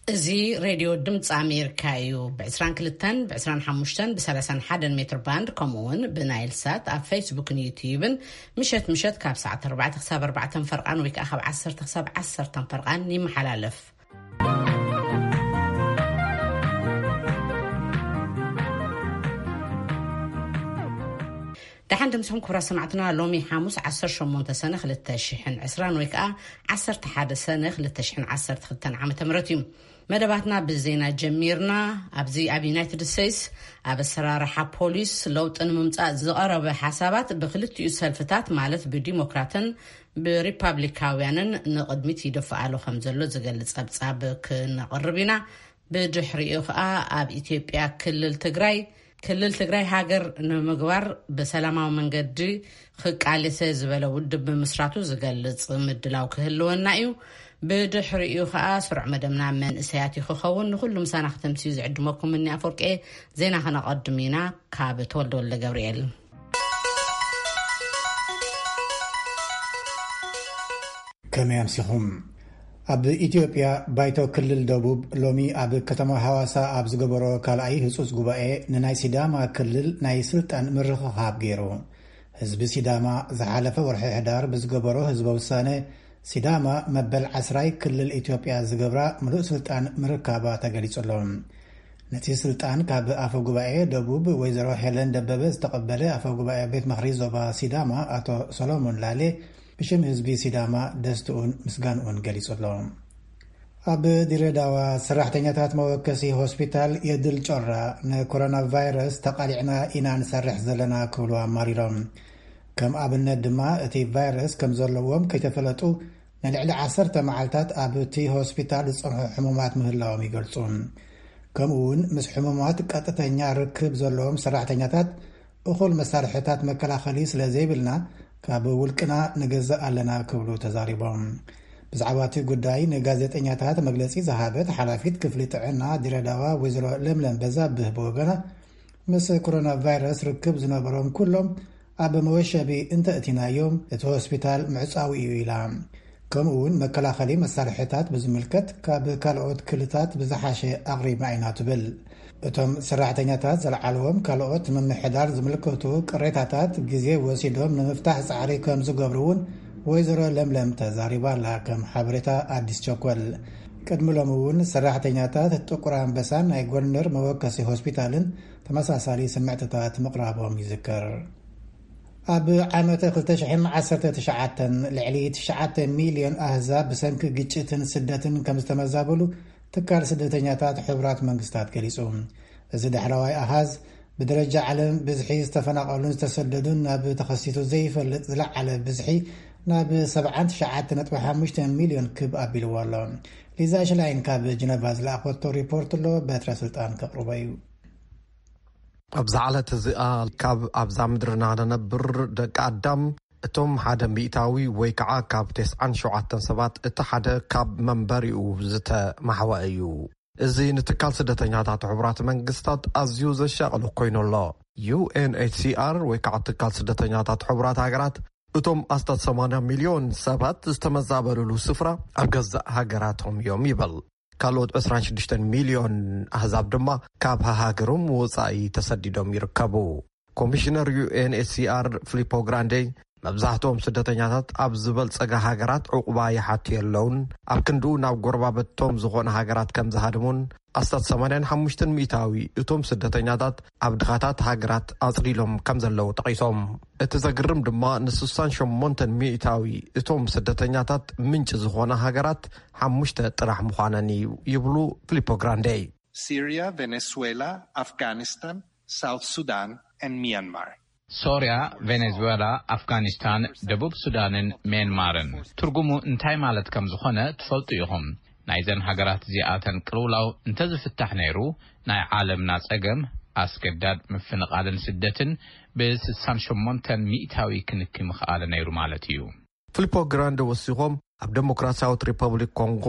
እዚ ሬድዮ ድምፂ ኣሜሪካ እዩ። ብ22፣ ብ25፣ ብ31 ሜትር ባንድ፣ ከምኡ እውን ብናይል ሳት ኣብ ፌስቡክን ዩትዩብን ምሸት ምሸት ካብ ሰዓት ኣርባዕተ ክሳብ ኣርባዕተ ፈርቓን ወይ ከዓ ካብ ዓሰርተ ክሳብ ዓሰርተ ፈርቓን ይመሓላለፍ። ደሓን ድምፅኹም ክቡራት ሰማዕትና። ሎሚ ሓሙስ ዓሰርተ ሸሞንተ ሰነ ክልተ ሽሕን ዕስራን ወይ ከዓ ዓሰርተ ሓደ ሰነ ክልተ ሽሕን ዓሰርተ ክልተን ዓመተ ምህረት እዩ። መደባትና ብዜና ጀሚርና። ኣብዚ ኣብ ዩናይትድ ስቴትስ ኣብ ኣሰራርሓ ፖሊስ ለውጢ ንምምፃእ ዝቐረበ ሓሳባት ብክልቲኡ ሰልፍታት ማለት ብዲሞክራትን ብሪፓብሊካውያንን ንቕድሚት ይደፍኣሉ ከም ዘሎ ዝገልጽ ጸብጻብ ክነቕርብ ኢና። ብድሕሪኡ ኸኣ ኣብ ኢትዮጵያ ክልል ትግራይ፣ ክልል ትግራይ ሃገር ንምግባር ብሰላማዊ መንገዲ ክቃለሰ ዝበለ ውድብ ብምስራቱ ዝገልጽ ምድላው ክህልወና እዩ። ብድሕሪኡ ኸኣ ስሩዕ መደብና መንእሰያት እዩ ክኸውን። ንኹሉ ምሳና ክተምስዩ ዝዕድመኩም እኒ ኣፈወርቂ። ዜና ከነቐድም ኢና። ካብ ተወልደ ወልደ ገብርኤል። ከመይ ኣምሲኹም? ኣብ ኢትዮጵያ ባይቶ ክልል ደቡብ ሎሚ ኣብ ከተማ ሃዋሳ ኣብ ዝገበሮ ካልኣይ ህጹጽ ጉባኤ ንናይ ሲዳማ ክልል ናይ ስልጣን ምርኽኻብ ገይሩ። ህዝቢ ሲዳማ ዝሓለፈ ወርሒ ሕዳር ብዝገበሮ ህዝበ ውሳነ ሲዳማ መበል ዓስራይ ክልል ኢትዮጵያ ዝገብራ ምሉእ ስልጣን ምርካባ ተገሊጹ ኣሎ። ነቲ ስልጣን ካብ ኣፈ ጉባኤ ደቡብ ወይዘሮ ሄለን ደበበ ዝተቐበለ ኣፈ ጉባኤ ቤት ምኽሪ ዞባ ሲዳማ ኣቶ ሰሎሞን ላሌ ብሽም ህዝቢ ሲዳማ ደስትኡን ምስጋንኡን ገሊጹ ኣሎ። ኣብ ድሬዳዋ ሰራሕተኛታት መወከሲ ሆስፒታል የድል ጮራ ንኮሮና ቫይረስ ተቓሊዕና ኢና ንሰርሕ ዘለና ክብሉ ኣማሪሮም። ከም ኣብነት ድማ እቲ ቫይረስ ከም ዘለዎም ከይተፈለጡ ንልዕሊ ዓሰርተ መዓልታት ኣብ እቲ ሆስፒታል ዝጸንሑ ሕሙማት ምህላዎም ይገልጹ። ከምኡ እውን ምስ ሕሙማት ቀጥተኛ ርክብ ዘለዎም ሰራሕተኛታት እኹል መሳርሕታት መከላኸሊ ስለ ዘይብልና ካብ ውልቅና ንገዝእ ኣለና ክብሉ ተዛሪቦም። ብዛዕባ እቲ ጉዳይ ንጋዜጠኛታት መግለጺ ዝሃበት ሓላፊት ክፍሊ ጥዕና ድሬዳዋ ወይዘሮ ለምለም በዛብህ ብወገና ምስ ኮሮና ቫይረስ ርክብ ዝነበሮም ኩሎም ኣብ መወሸቢ እንተእቲናዮም እቲ ሆስፒታል ምዕጻዊ እዩ ኢላ። ከምኡ እውን መከላኸሊ መሳርሕታት ብዝምልከት ካብ ካልኦት ክልታት ብዝሓሸ ኣቕሪብና ኢና ትብል። እቶም ሰራሕተኛታት ዘልዓልዎም ካልኦት ምምሕዳር ዝምልከቱ ቅሬታታት ግዜ ወሲዶም ንምፍታሕ ጻዕሪ ከም ዝገብሩ እውን ወይዘሮ ለምለም ተዛሪባ ኣላ። ከም ሓበሬታ ኣዲስ ቸኮል ቅድሚ ሎም እውን ሰራሕተኛታት ጥቁር ኣንበሳን ናይ ጎንደር መወከሲ ሆስፒታልን ተመሳሳሊ ስምዕትታት ምቕራቦም ይዝከር። ኣብ ዓመተ ክልተ ሽሕን ዓሰርተ ትሽዓተን ልዕሊ ትሽዓተ ሚልዮን ኣህዛብ ብሰንኪ ግጭትን ስደትን ከም ዝተመዛበሉ ትካል ስደተኛታት ሕቡራት መንግስታት ገሊጹ። እዚ ዳሕረዋይ ኣሃዝ ብደረጃ ዓለም ብዝሒ ዝተፈናቐሉን ዝተሰደዱን ናብ ተኸሲቱ ዘይፈልጥ ዝለዓለ ብዝሒ ናብ ሰብዓን ትሽዓተ ነጥቢ ሓሙሽተ ሚልዮን ክብ ኣቢልዎ ኣሎ። ሊዛ ሽላይን ካብ ጀነቫ ዝለኣኸቶ ሪፖርት ኣሎ፣ በትረ ስልጣን ከቕርቦ እዩ። ኣብዛ ዕለት እዚኣ ካብ ኣብዛ ምድርና ንነብር ደቂ ኣዳም እቶም ሓደ ሚእታዊ ወይ ከዓ ካብ ተስዓን ሸውዓተን ሰባት እቲ ሓደ ካብ መንበሪኡ ዝተማሕወ እዩ። እዚ ንትካል ስደተኛታት ሕቡራት መንግስታት ኣዝዩ ዘሻቕል ኮይኑ ኣሎ። ዩ ኤን ኤች ሲ ኣር ወይ ከዓ ትካል ስደተኛታት ሕቡራት ሃገራት እቶም ኣስታት ሰማንያ ሚልዮን ሰባት ዝተመዛበሉሉ ስፍራ ኣብ ገዛእ ሃገራቶም እዮም ይብል። ካልኦት ዕስራን ሽዱሽተን ሚልዮን ኣህዛብ ድማ ካብ ሃሃገሮም ወጻኢ ተሰዲዶም ይርከቡ። ኮሚሽነር ዩ ኤን ኤች ሲ ኣር ፊሊፖ ግራንዴ መብዛሕትኦም ስደተኛታት ኣብ ዝበልጸጋ ሃገራት ዕቑባ ይሓቱ የለውን፣ ኣብ ክንድኡ ናብ ጎረባብቶም ዝኾነ ሃገራት ከም ዝሃድሙን ኣስታት ሰማንያን ሓሙሽተን ሚእታዊ እቶም ስደተኛታት ኣብ ድኻታት ሃገራት ኣጽሊሎም ከም ዘለዉ ጠቒሶም። እቲ ዘግርም ድማ ንስሳን ሸሞንተን ሚእታዊ እቶም ስደተኛታት ምንጪ ዝኾነ ሃገራት ሓሙሽተ ጥራሕ ምዃነን እዩ ይብሉ ፊሊፖ ግራንዴ። Syria, Venezuela, Afghanistan, South Sudan, and Myanmar. ሶርያ፣ ቬኔዙዌላ፣ ኣፍጋኒስታን፣ ደቡብ ሱዳንን ሜንማርን። ትርጉሙ እንታይ ማለት ከም ዝኾነ ትፈልጡ ኢኹም። ናይዘን ሃገራት እዚኣተን ቅልውላው እንተዝፍታሕ ነይሩ፣ ናይ ዓለምና ጸገም ኣስገዳድ ምፍንቓልን ስደትን ብስሳን ሸሞንተን ሚእታዊ ክንኪ ምኽኣለ ነይሩ ማለት እዩ። ፊሊፖ ግራንደ ወሲኾም፣ ኣብ ዴሞክራሲያዊት ሪፐብሊክ ኮንጎ፣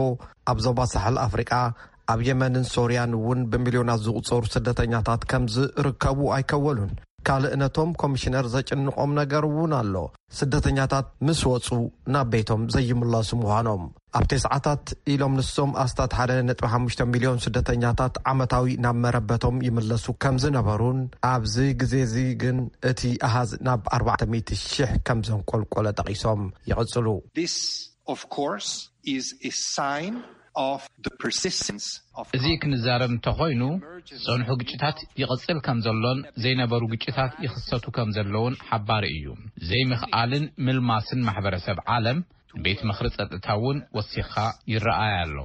ኣብ ዞባ ሳሕል ኣፍሪቃ፣ ኣብ የመንን ሶርያን እውን ብሚልዮናት ዝቑጸሩ ስደተኛታት ከም ዝርከቡ ኣይከወሉን። ካልእ ነቶም ኮሚሽነር ዘጭንቖም ነገር እውን ኣሎ። ስደተኛታት ምስ ወጹ ናብ ቤቶም ዘይምለሱ ምዃኖም። ኣብ ተስዓታት ኢሎም ንሶም ኣስታት ሓደ ነጥቢ ሓሙሽተ ሚልዮን ስደተኛታት ዓመታዊ ናብ መረበቶም ይምለሱ ከም ዝነበሩን፣ ኣብዚ ግዜ እዚ ግን እቲ ኣሃዝ ናብ ኣርባዕተ ሚእቲ ሽሕ ከም ዘንቆልቆለ ጠቒሶም ይቕጽሉ። This, of course, is a sign of the persistence of እዚ ክንዛረብ እንተኾይኑ፣ ጸንሑ ግጭታት ይቕጽል ከም ዘሎን ዘይነበሩ ግጭታት ይኽሰቱ ከም ዘለውን ሓባሪ እዩ። ዘይምኽኣልን ምልማስን ማሕበረሰብ ዓለም፣ ቤት ምኽሪ ጸጥታ እውን ወሲኻ ይረኣይ ኣሎ።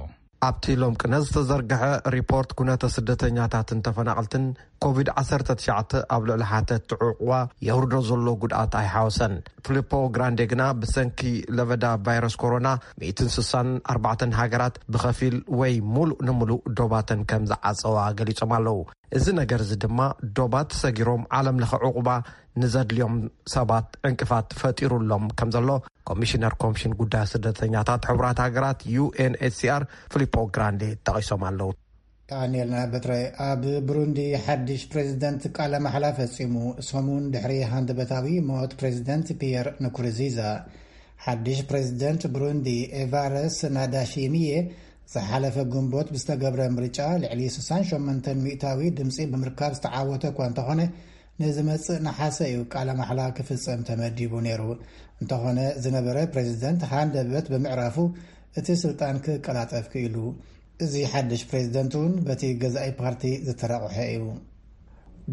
ኣብቲ ሎም ቅነ ዝተዘርግሐ ሪፖርት፣ ኩነተ ስደተኛታትን ተፈናቐልትን ኮቪድ ዓሰርተ ትሽዓተ ኣብ ልዕሊ ሓተቲ ዕቑባ የውርዶ ዘሎ ጉድኣት ኣይሓወሰን። ፊሊፖ ግራንዴ ግና ብሰንኪ ለበዳ ቫይረስ ኮሮና ሚእትን ስሳን ኣርባዕተን ሃገራት ብኸፊል ወይ ሙሉእ ንሙሉእ ዶባተን ከም ዝዓጸዋ ገሊጾም ኣለዉ። እዚ ነገር እዚ ድማ ዶባት ሰጊሮም ዓለም ለኸ ዕቑባ ንዘድልዮም ሰባት ዕንቅፋት ፈጢሩሎም ከም ዘሎ ኮሚሽነር ኮሚሽን ጉዳይ ስደተኛታት ሕቡራት ሃገራት ዩ ኤን ኤች ሲ ኣር ፊሊፖ ግራንዴ ጠቒሶም ኣለዉ። ዳንኤል ናበትረ። ኣብ ብሩንዲ ሓድሽ ፕሬዚደንት ቃለ ማሕላ ፈጺሙ። ሰሙን ድሕሪ ሃንደበታዊ ሞት ፕሬዚደንት ፒየር ንኩርዚዛ፣ ሓድሽ ፕሬዚደንት ብሩንዲ ኤቫረስ ናዳሺሚየ ዝሓለፈ ግንቦት ብዝተገብረ ምርጫ ልዕሊ ስሳን ሸሞንተን ሚእታዊ ድምፂ ብምርካብ ዝተዓወተ እኳ እንተኾነ፣ ንዝመጽእ ነሓሰ እዩ ቃለ ማሕላ ክፍጸም ተመዲቡ ነይሩ። እንተኾነ ዝነበረ ፕሬዚደንት ሃንደበት ብምዕራፉ እቲ ስልጣን ክቀላጠፍ ክኢሉ። እዚ ሓድሽ ፕሬዚደንት እውን በቲ ገዛኢ ፓርቲ ዝተረቑሐ እዩ።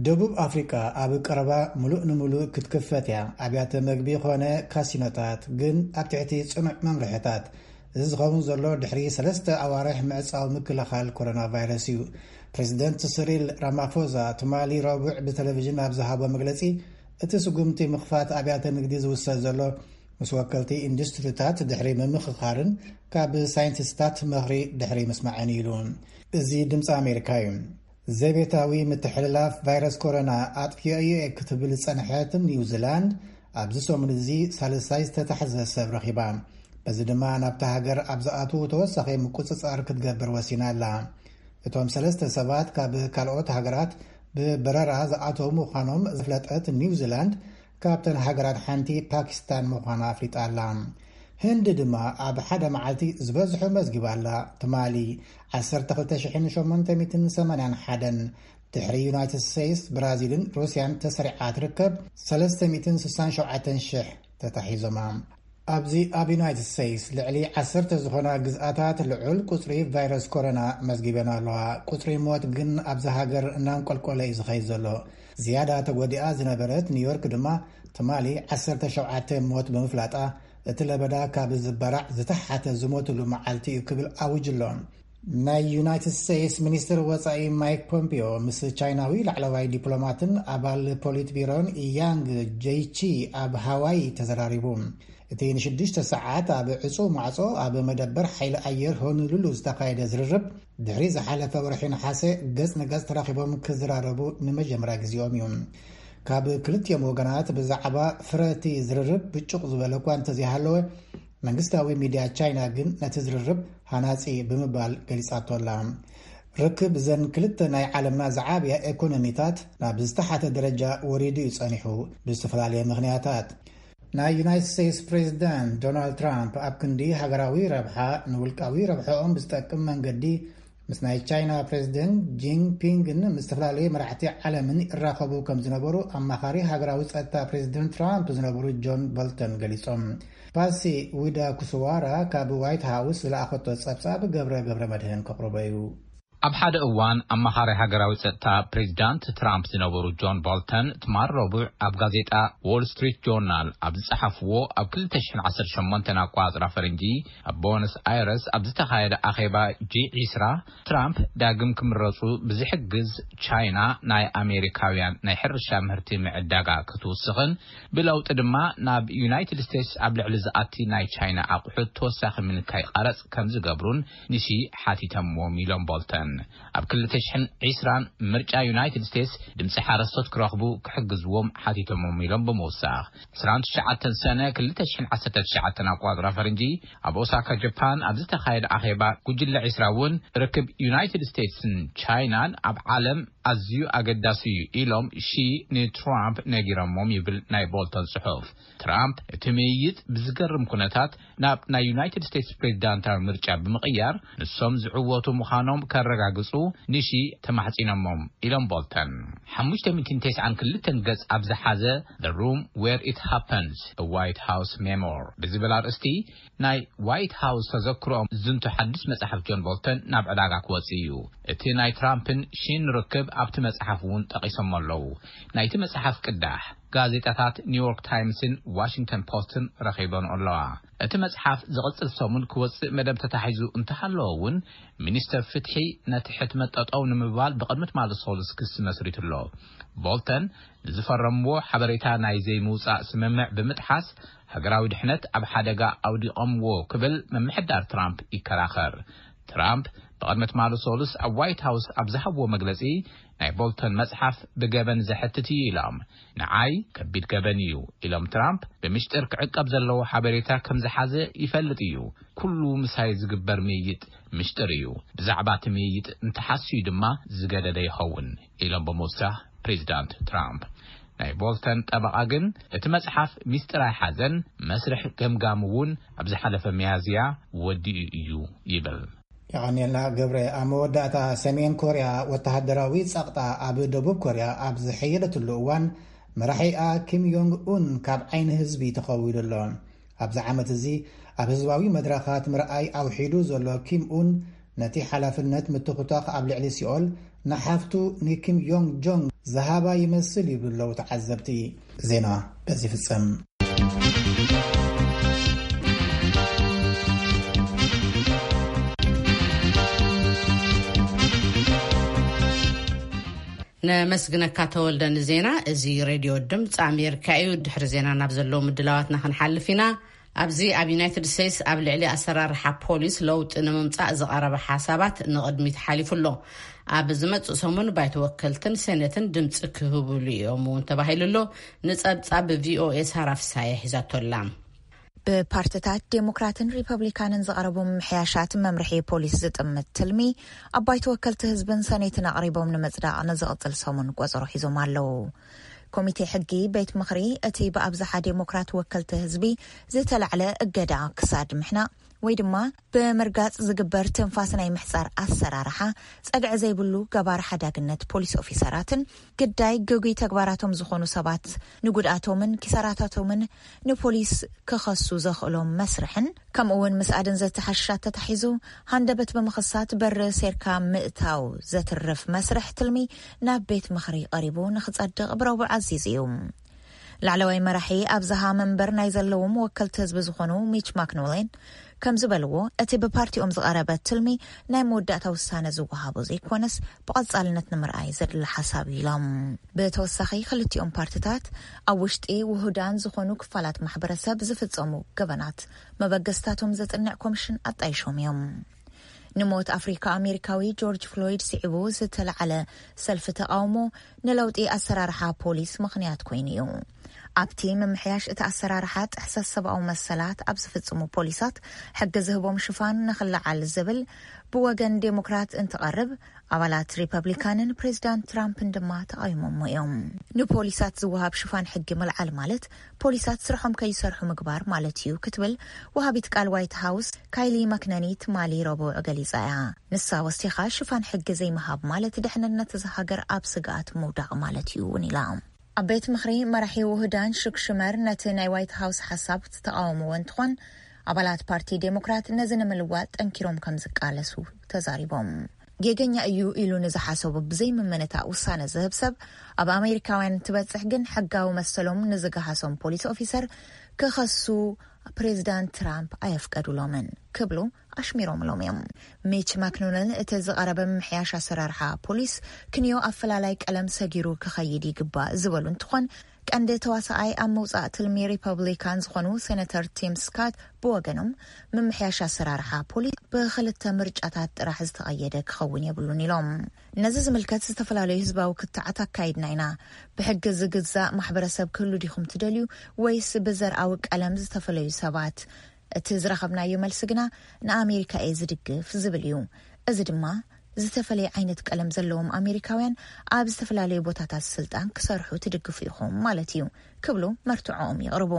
ደቡብ ኣፍሪቃ ኣብ ቀረባ ምሉእ ንምሉእ ክትክፈት እያ። ኣብያተ መግቢ ኾነ ካሲኖታት ግን ኣብ ትሕቲ ጽኑዕ መምርሕታት። እዚ ዝኸውን ዘሎ ድሕሪ ሰለስተ ኣዋርሕ ምዕጻው ምክልኻል ኮሮና ቫይረስ እዩ። ፕሬዚደንት ስሪል ራማፎዛ ትማሊ ረቡዕ ብቴሌቪዥን ኣብ ዝሃቦ መግለጺ፣ እቲ ስጉምቲ ምኽፋት ኣብያተ ንግዲ ዝውሰድ ዘሎ ምስ ወከልቲ ኢንዱስትሪታት ድሕሪ ምምኽኻርን ካብ ሳይንቲስታት ምኽሪ ድሕሪ ምስማዕን ኢሉ። እዚ ድምፂ ኣሜሪካ እዩ። ዘቤታዊ ምትሕልላፍ ቫይረስ ኮሮና ኣጥፊኦ እየ ክትብል ዝጸንሐት ኒውዚላንድ ኣብዚ ሰሙን እዚ ሳልሳይ ዝተታሕዘ ሰብ ረኺባ። በዚ ድማ ናብታ ሃገር ኣብ ዝኣትዉ ተወሳኺ ምቁጽጻር ክትገብር ወሲና ኣላ። እቶም ሰለስተ ሰባት ካብ ካልኦት ሃገራት ብበረራ ዝኣተዉ ምዃኖም ዘፍለጠት ኒውዚላንድ ካብተን ሃገራት ሓንቲ ፓኪስታን ምዃና ኣፍሊጣ ኣላ። ህንዲ ድማ ኣብ ሓደ መዓልቲ ዝበዝሑ መዝጊባ ኣላ። ትማሊ ዓሰርተ ክልተ ሽሕን ሸሞንተ ሚእትን ሰማንያን ሓደን፣ ድሕሪ ዩናይትድ ስቴትስ፣ ብራዚልን ሩስያን ተሰሪዓ ትርከብ ሰለስተ ሚእትን ስሳን ሸውዓተን ሽሕ ተታሒዞማ። ኣብዚ ኣብ ዩናይትድ ስቴትስ ልዕሊ ዓሰርተ ዝኾና ግዝኣታት ልዑል ቁጽሪ ቫይረስ ኮሮና መዝጊበን ኣለዋ። ቁጽሪ ሞት ግን ኣብዚ ሃገር እናንቆልቆለ እዩ ዝኸይድ ዘሎ። ዝያዳ ተጎዲኣ ዝነበረት ኒውዮርክ ድማ ትማሊ ዓሰርተ ሸውዓተ ሞት ብምፍላጣ፣ እቲ ለበዳ ካብ ዝበራዕ ዝተሓተ ዝሞትሉ መዓልቲ እዩ ክብል ኣውጅ ኣሎ። ናይ ዩናይትድ ስቴትስ ሚኒስትር ወጻኢ ማይክ ፖምፒዮ ምስ ቻይናዊ ላዕለዋይ ዲፕሎማትን ኣባል ፖሊት ቢሮን ያንግ ጄይቺ ኣብ ሃዋይ ተዘራሪቡ። እቲ ንሽዱሽተ ሰዓት ኣብ ዕጹው ማዕጾ ኣብ መደበር ሓይሊ ኣየር ሆኑሉሉ ዝተኻየደ ዝርርብ፣ ድሕሪ ዝሓለፈ ወርሒ ነሓሰ ገጽ ንገጽ ተራኺቦም ክዘራረቡ ንመጀመርያ ግዜኦም እዩ። ካብ ክልቲኦም ወገናት ብዛዕባ ፍረቲ ዝርርብ ብጩቕ ዝበለ እኳ እንተዘይሃለወ፣ መንግስታዊ ሚድያ ቻይና ግን ነቲ ዝርርብ ሃናጺ ብምባል ገሊጻቶ ኣላ። ርክብ እዘን ክልተ ናይ ዓለምና ዝዓብያ ኤኮኖሚታት ናብ ዝተሓተ ደረጃ ወሪዱ እዩ ጸኒሑ፣ ብዝተፈላለየ ምኽንያታት። ናይ ዩናይትድ ስቴትስ ፕሬዚዳንት ዶናልድ ትራምፕ ኣብ ክንዲ ሃገራዊ ረብሓ፣ ንውልቃዊ ረብሓኦም ብዝጠቅም መንገዲ ምስ ናይ ቻይና ፕሬዚደንት ጂንፒንግን ምስ ዝተፈላለዩ መራሕቲ ዓለምን ይራኸቡ ከም ዝነበሩ ኣማኻሪ ሃገራዊ ጸጥታ ፕሬዚደንት ትራምፕ ዝነበሩ ጆን ቦልተን ገሊጾም። ፓሲ ዊዳ ኩስዋራ ካብ ዋይት ሃውስ ዝለኣኸቶ ጸብጻብ ገብረ ገብረ መድህን ከቕርቦ እዩ። ኣብ ሓደ እዋን ኣማኻሪ ሃገራዊ ጸጥታ ፕሬዚዳንት ትራምፕ ዝነበሩ ጆን ቦልተን ትማል ረቡዕ ኣብ ጋዜጣ ዎል ስትሪት ጆርናል ኣብ ዝጸሓፍዎ፣ ኣብ ክልተ ሽሕን ዓሰርተ ሸሞንተን ኣቋጽራ ፈረንጂ ኣብ ቦነስ ኣይረስ ኣብ ዝተኻየደ ኣኼባ ጂ ዒስራ፣ ትራምፕ ዳግም ክምረጹ ብዝሕግዝ ቻይና ናይ ኣሜሪካውያን ናይ ሕርሻ ምህርቲ ምዕዳጋ ክትውስኽን ብለውጢ ድማ ናብ ዩናይትድ ስቴትስ ኣብ ልዕሊ ዝኣቲ ናይ ቻይና ኣቑሑት ተወሳኺ ምንካይ ቀረጽ ከም ዝገብሩን ንሺ ሓቲተምዎም ኢሎም ቦልተን። ኣብ ክልተ ሽሕን ዕስራን ምርጫ ዩናይትድ ስቴትስ ድምፂ ሓረስቶት ክረኽቡ ክሕግዝዎም ሓቲቶሞም ኢሎም ብምውሳኽ። ዕስራን ትሽዓተን ሰነ ክልተ ሽሕን ዓሰርተ ትሽዓተን ኣቋፅራ ፈረንጂ ኣብ ኦሳካ ጃፓን ኣብ ዝተኻየደ ኣኼባ ጉጅለ ዕስራ እውን ርክብ ዩናይትድ ስቴትስን ቻይናን ኣብ ዓለም ኣዝዩ ኣገዳሲ እዩ ኢሎም ሺ ንትራምፕ ነጊሮሞም ይብል ናይ ቦልተን ጽሑፍ። ትራምፕ እቲ ምይይጥ ብዝገርም ኩነታት ናብ ናይ ዩናይትድ ስቴትስ ፕሬዚዳንታዊ ምርጫ ብምቕያር ንሶም ዝዕወቱ ምዃኖም ከረጋግጹ ንሺ ተማሕጺኖሞም ኢሎም ቦልተን። ሓሙሽተ ሚእትን ተስዓን ክልተን ገጽ ኣብ ዝሓዘ The Room Where It Happens, A White House Memoir ብዝብል ኣርእስቲ ናይ ዋይት ሃውስ ተዘክሮኦም ዝዝንቱ ሓድሽ መጽሓፍ ጆን ቦልተን ናብ ዕዳጋ ክወጽእ እዩ። እቲ ናይ ትራምፕን ሺን ርክብ ኣብቲ መጽሓፍ እውን ጠቒሶሞ ኣለዉ። ናይቲ መጽሓፍ ቅዳሕ ጋዜጣታት ኒውዮርክ ታይምስን ዋሽንግተን ፖስትን ረኺበን ኣለዋ። እቲ መጽሓፍ ዝቕጽል ሰሙን ክወጽእ መደብ ተታሒዙ እንተሃለወ እውን፣ ሚኒስተር ፍትሒ ነቲ ሕትመት ጠጠው ንምባል ብቕድሚ ትማሊ ሰሉስ ክሲ መስሪቱ ኣሎ። ቦልተን ንዝፈረምዎ ሓበሬታ ናይ ዘይምውጻእ ስምምዕ ብምጥሓስ፣ ሃገራዊ ድሕነት ኣብ ሓደጋ ኣውዲቖምዎ ክብል ምምሕዳር ትራምፕ ይከራኸር። ትራምፕ ብቕድሚ ትማሊ ሰሉስ ኣብ ዋይት ሃውስ ኣብ ዝሃብዎ መግለጺ፣ ናይ ቦልተን መጽሓፍ ብገበን ዘሕትት እዩ ኢሎም። ንዓይ ከቢድ ገበን እዩ ኢሎም ትራምፕ፣ ብምሽጥር ክዕቀብ ዘለዎ ሓበሬታ ከም ዝሓዘ ይፈልጥ እዩ። ኩሉ ምሳይ ዝግበር ምይይጥ ምሽጥር እዩ። ብዛዕባ እቲ ምይይጥ እንተሓስዩ ድማ ዝገደደ ይኸውን ኢሎም ብምውሳኽ ፕሬዚዳንት ትራምፕ። ናይ ቦልተን ጠበቓ ግን እቲ መጽሓፍ ሚስጥር ኣይሓዘን፣ መስርሕ ገምጋም እውን ኣብ ዝሓለፈ ሚያዝያ ወዲኡ እዩ ይብል። የቐንየልና ገብረ። ኣብ መወዳእታ፣ ሰሜን ኮርያ ወተሃደራዊ ጸቕጣ ኣብ ደቡብ ኮርያ ኣብ ዝሐየለትሉ እዋን፣ መራሒኣ ኪም ዮንግ ኡን ካብ ዓይኒ ህዝቢ ተኸዊሉ ኣሎ። ኣብዚ ዓመት እዚ ኣብ ህዝባዊ መድረኻት ምርኣይ ኣውሒዱ ዘሎ ኪም ኡን፣ ነቲ ሓላፍነት ምትኹታኽ ኣብ ልዕሊ ሲኦል ንሓፍቱ ንኪም ዮንግ ጆንግ ዝሃባ ይመስል ይብሉ ኣለዉ ተዓዘብቲ። ዜና በዚ ይፍጸም። ነመስግነካ ተወልደ ንዜና። እዚ ሬድዮ ድምፂ ኣሜሪካ እዩ። ድሕሪ ዜና ናብ ዘለዉ ምድላዋትና ክንሓልፍ ኢና። ኣብዚ ኣብ ዩናይትድ ስቴትስ ኣብ ልዕሊ ኣሰራርሓ ፖሊስ ለውጢ ንምምፃእ ዝቐረበ ሓሳባት ንቕድሚት ሓሊፉ ኣሎ። ኣብ ዝመፅእ ሰሙን ባይቶ ወከልትን ሴኔትን ድምፂ ክህብሉ እዮም እውን ተባሂሉ ኣሎ። ንፀብፃብ ቪኦኤ ሳራ ፍሳየ ሒዛቶ ኣላ። ብፓርትታት ዴሞክራትን ሪፐብሊካንን ዝቐረቡ ምምሕያሻት መምርሒ ፖሊስ ዝጥምት ትልሚ፣ ኣብ ባይቶ ወከልቲ ህዝብን ሰኔትን ኣቕሪቦም ንምጽዳቕ ንዝቕጽል ሰሙን ቆጸሮ ሒዞም ኣለዉ። ኮሚቴ ሕጊ ቤት ምኽሪ፣ እቲ ብኣብዝሓ ዴሞክራት ወከልቲ ህዝቢ ዝተላዕለ እገዳ ክሳድ ምሕናቕ ወይ ድማ ብምርጋጽ ዝግበር ትንፋስ ናይ ምሕጻር ኣሰራርሓ፣ ጸግዒ ዘይብሉ ገባር ሓዳግነት ፖሊስ ኦፊሰራትን ግዳይ ግጉይ ተግባራቶም ዝኾኑ ሰባት ንጉድኣቶምን ኪሳራታቶምን ንፖሊስ ክኸሱ ዘኽእሎም መስርሕን፣ ከምኡ እውን ምስ ኣደንዘዝቲ ሓሽሻት ተታሒዙ ሃንደበት ብምኽሳት በሪ ሴርካ ምእታው ዘትርፍ መስርሕ ትልሚ ናብ ቤት ምኽሪ ቀሪቡ ንኽጸድቕ ብረቡዕ ኣዚዙ እዩ። ላዕለዋይ መራሒ ኣብዝሃ መንበር ናይ ዘለዎም ወከልቲ ህዝቢ ዝኾኑ ሚች ማክኖሌን ከም ዝበልዎ፣ እቲ ብፓርቲኦም ዝቐረበ ትልሚ ናይ መወዳእታ ውሳነ ዝወሃቦ ዘይኮነስ፣ ብቐጻልነት ንምርኣይ ዘድሊ ሓሳብ እዩ ኢሎም። ብተወሳኺ፣ ክልቲኦም ፓርትታት ኣብ ውሽጢ ውሁዳን ዝኾኑ ክፋላት ማሕበረሰብ ዝፍጸሙ ገበናት መበገስታቶም ዘጽንዕ ኮሚሽን ኣጣይሾም እዮም። ንሞት ኣፍሪካ ኣሜሪካዊ ጆርጅ ፍሎይድ ስዒቡ ዝተለዓለ ሰልፊ ተቃውሞ፣ ንለውጢ ኣሰራርሓ ፖሊስ ምኽንያት ኮይኑ እዩ። ኣብቲ ምምሕያሽ እቲ ኣሰራርሓ፣ ጥሕሰት ሰብኣዊ መሰላት ኣብ ዝፍጽሙ ፖሊሳት ሕጊ ዝህቦም ሽፋን ንኽለዓል ዝብል ብወገን ዴሞክራት እንትቐርብ፣ ኣባላት ሪፐብሊካንን ፕሬዚዳንት ትራምፕን ድማ ተቓዊሞሞ እዮም። ንፖሊሳት ዝወሃብ ሽፋን ሕጊ ምልዓል ማለት፣ ፖሊሳት ስርሖም ከይሰርሑ ምግባር ማለት እዩ ክትብል ወሃቢት ቃል ዋይት ሃውስ ካይሊ ማክነኒ ትማሊ ረቡዕ ገሊጻ እያ። ንሳ ወሲኻ፣ ሽፋን ሕጊ ዘይምሃብ ማለት፣ ድሕንነት እዛ ሃገር ኣብ ስግኣት ምውዳቕ ማለት እዩ እውን ኢላ። ኣብ ቤት ምኽሪ፣ መራሒ ውህዳን ሹክ ሽመር ነቲ ናይ ዋይት ሃውስ ሓሳብ ዝተቃወምዎ እንትኾን፣ ኣባላት ፓርቲ ዴሞክራት ነዚ ንምልዋጥ ጠንኪሮም ከም ዝቃለሱ ተዛሪቦም። ጌገኛ እዩ ኢሉ ንዝሓሰቡ ብዘይምምንታእ ውሳነ ዝህብ ሰብ፣ ኣብ ኣሜሪካውያን እንትበጽሕ ግን፣ ሕጋዊ መሰሎም ንዝገሃሶም ፖሊስ ኦፊሰር ክኸሱ ፕሬዚዳንት ትራምፕ ኣየፍቀዱሎምን ክብሉ ኣሽሚሮምሎም እዮም። ሚች ማክኖነል፣ እቲ ዝቐረበ ምምሕያሽ ኣሰራርሓ ፖሊስ ክንዮ ኣፈላላይ ቀለም ሰጊሩ ክኸይድ ይግባእ ዝበሉ እንትኾን፣ ቀንዲ ተዋሳኣይ ኣብ ምውጻእ ትልሚ ሪፐብሊካን ዝኾኑ ሴነተር ቲም ስካት ብወገኖም፣ ምምሕያሽ ኣሰራርሓ ፖሊስ ብኽልተ ምርጫታት ጥራሕ ዝተቐየደ ክኸውን የብሉን ኢሎም። ነዚ ዝምልከት ዝተፈላለዩ ህዝባዊ ክትዓት ኣካይድና ኢና። ብሕጊ ዝግዛእ ማሕበረሰብ ክህሉ ዲኹም ትደልዩ፣ ወይስ ብዘርኣዊ ቀለም ዝተፈለዩ ሰባት? እቲ ዝረኸብናዮ መልሲ ግና፣ ንኣሜሪካ እየ ዝድግፍ ዝብል እዩ። እዚ ድማ ዝተፈላለየ ዓይነት ቀለም ዘለዎም ኣሜሪካውያን ኣብ ዝተፈላለየ ቦታታት ስልጣን ክሰርሑ ትድግፉ ኢኹም ማለት እዩ ክብሉ መርትዖኦም የቕርቡ።